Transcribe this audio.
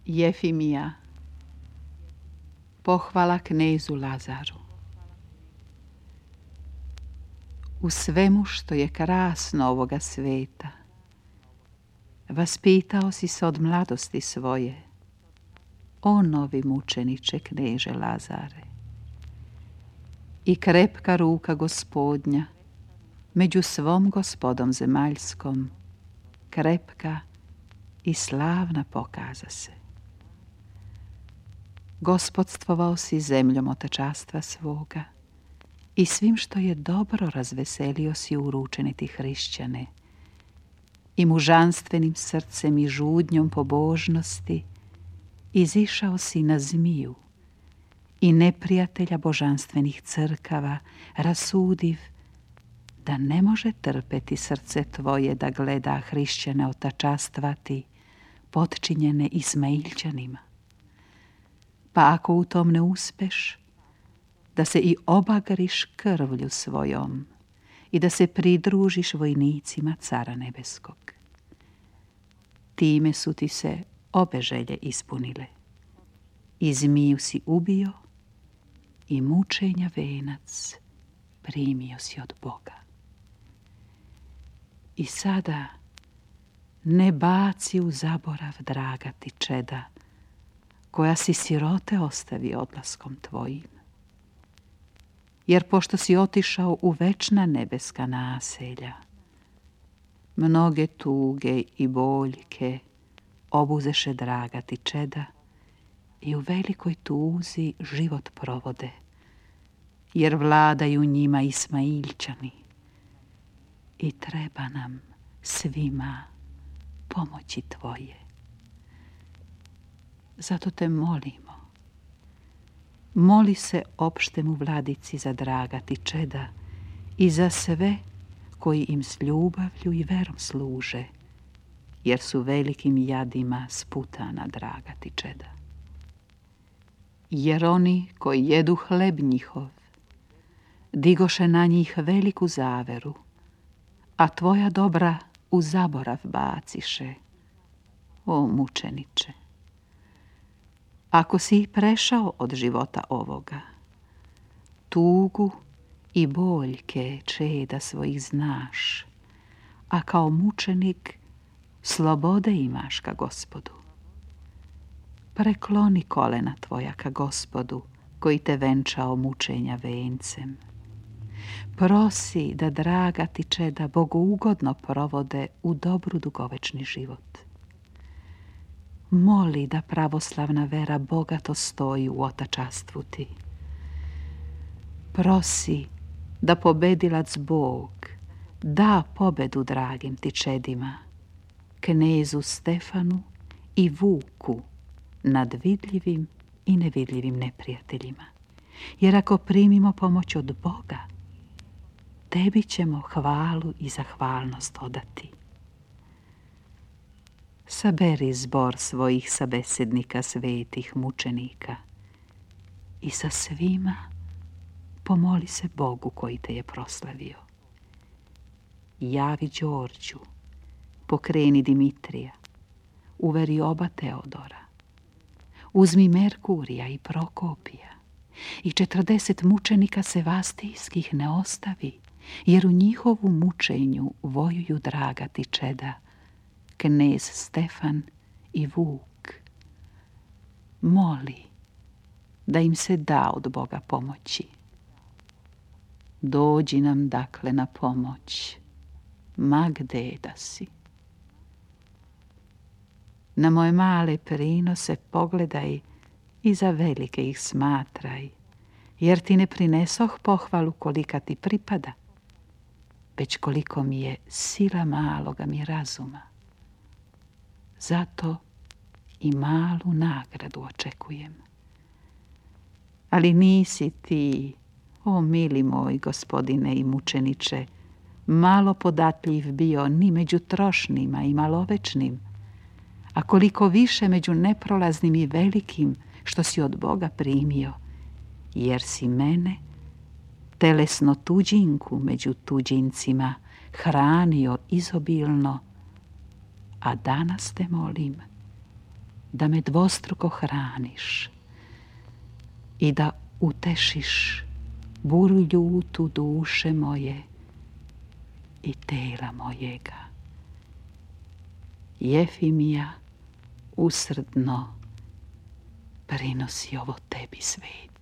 Jefimija. Pohvala knezu Lazaru. U svemu što je krasno ovoga sveta, vaspitao si se od mladosti svoje, o novi mučeniče kneže Lazare. I krepka ruka Gospodnja među svom gospodom zemaljskom, krepka i slavna pokaza se. Gospodstvovao si zemljom otačastva svoga i svim što je dobro razveselio si uručeni ti hrišćane i mužanstvenim srcem i žudnjom pobožnosti izišao si na zmiju i neprijatelja božanstvenih crkava rasudiv da ne može trpeti srce tvoje da gleda hrišćane otačastvati potčinjene Ismailčanima. Pa ako u tom ne uspeš, da se i obagriš krvlju svojom i da se pridružiš vojnicima Cara Nebeskog. Time su ti se obe želje ispunile. I zmiju si ubio i mučenja venac primio si od Boga. I sada ne baci u zaborav, draga ti čeda, koja si sirote ostavi odlaskom tvojim. Jer pošto si otišao u večna nebeska naselja, mnoge tuge i boljke obuzeše, draga ti čeda, i u velikoj tuzi život provode, jer vladaju njima Ismailčani. I treba nam svima pomoći tvoje. Zato te molimo, moli se opštemu vladici za draga ti čeda i za sve koji im s ljubavlju i verom služe, jer su velikim jadima sputana, draga ti čeda. Jer oni koji jedu hleb njihov digoše na njih veliku zaveru, a tvoja dobra u zaborav baciše, o mučeniče. Ako si prešao od života ovoga, tugu i boljke čeda svojih znaš, a kao mučenik slobode imaš ka Gospodu. Prekloni kolena tvoja ka Gospodu, koji te venčao mučenja vencem. Prosi da draga ti čeda bogougodno provode u dobru dugovečni život. Moli da pravoslavna vera bogato stoji u otačastvu ti. Prosi da pobedilac Bog da pobedu dragim ti čedima, knezu Stefanu i Vuku, nad vidljivim i nevidljivim neprijateljima. Jer ako primimo pomoć od Boga, tebi ćemo hvalu i zahvalnost odati. Saberi zbor svojih sabesednika svetih mučenika i sa svima pomoli se Bogu koji te je proslavio. Javi Đorđu, pokreni Dimitrija, uveri oba Teodora, uzmi Merkurija i Prokopija i 40 mučenika sevastijskih ne ostavi, jer u njihovu mučenju vojuju draga ti čeda, knez Stefan i Vuk. Moli da im se da od Boga pomoći. Dođi nam dakle na pomoć, ma gde da si. Na moje male prinose pogledaj i za velike ih smatraj, jer ti ne prinesoh pohvalu kolika ti pripada, već koliko mi je sila maloga mi razuma. Zato i malu nagradu očekujem. Ali nisi ti, o mili moj gospodine i mučeniče, malo podatljiv bio ni među trošnima i malovečnim, a koliko više među neprolaznim i velikim što si od Boga primio, jer si mene, telesno tuđinku među tuđincima, hranio izobilno, a danas te molim da me dvostruko hraniš i da utešiš buru ljutu duše moje i tela mojega. Jefimija usrdno prinosi ovo tebi, sveti.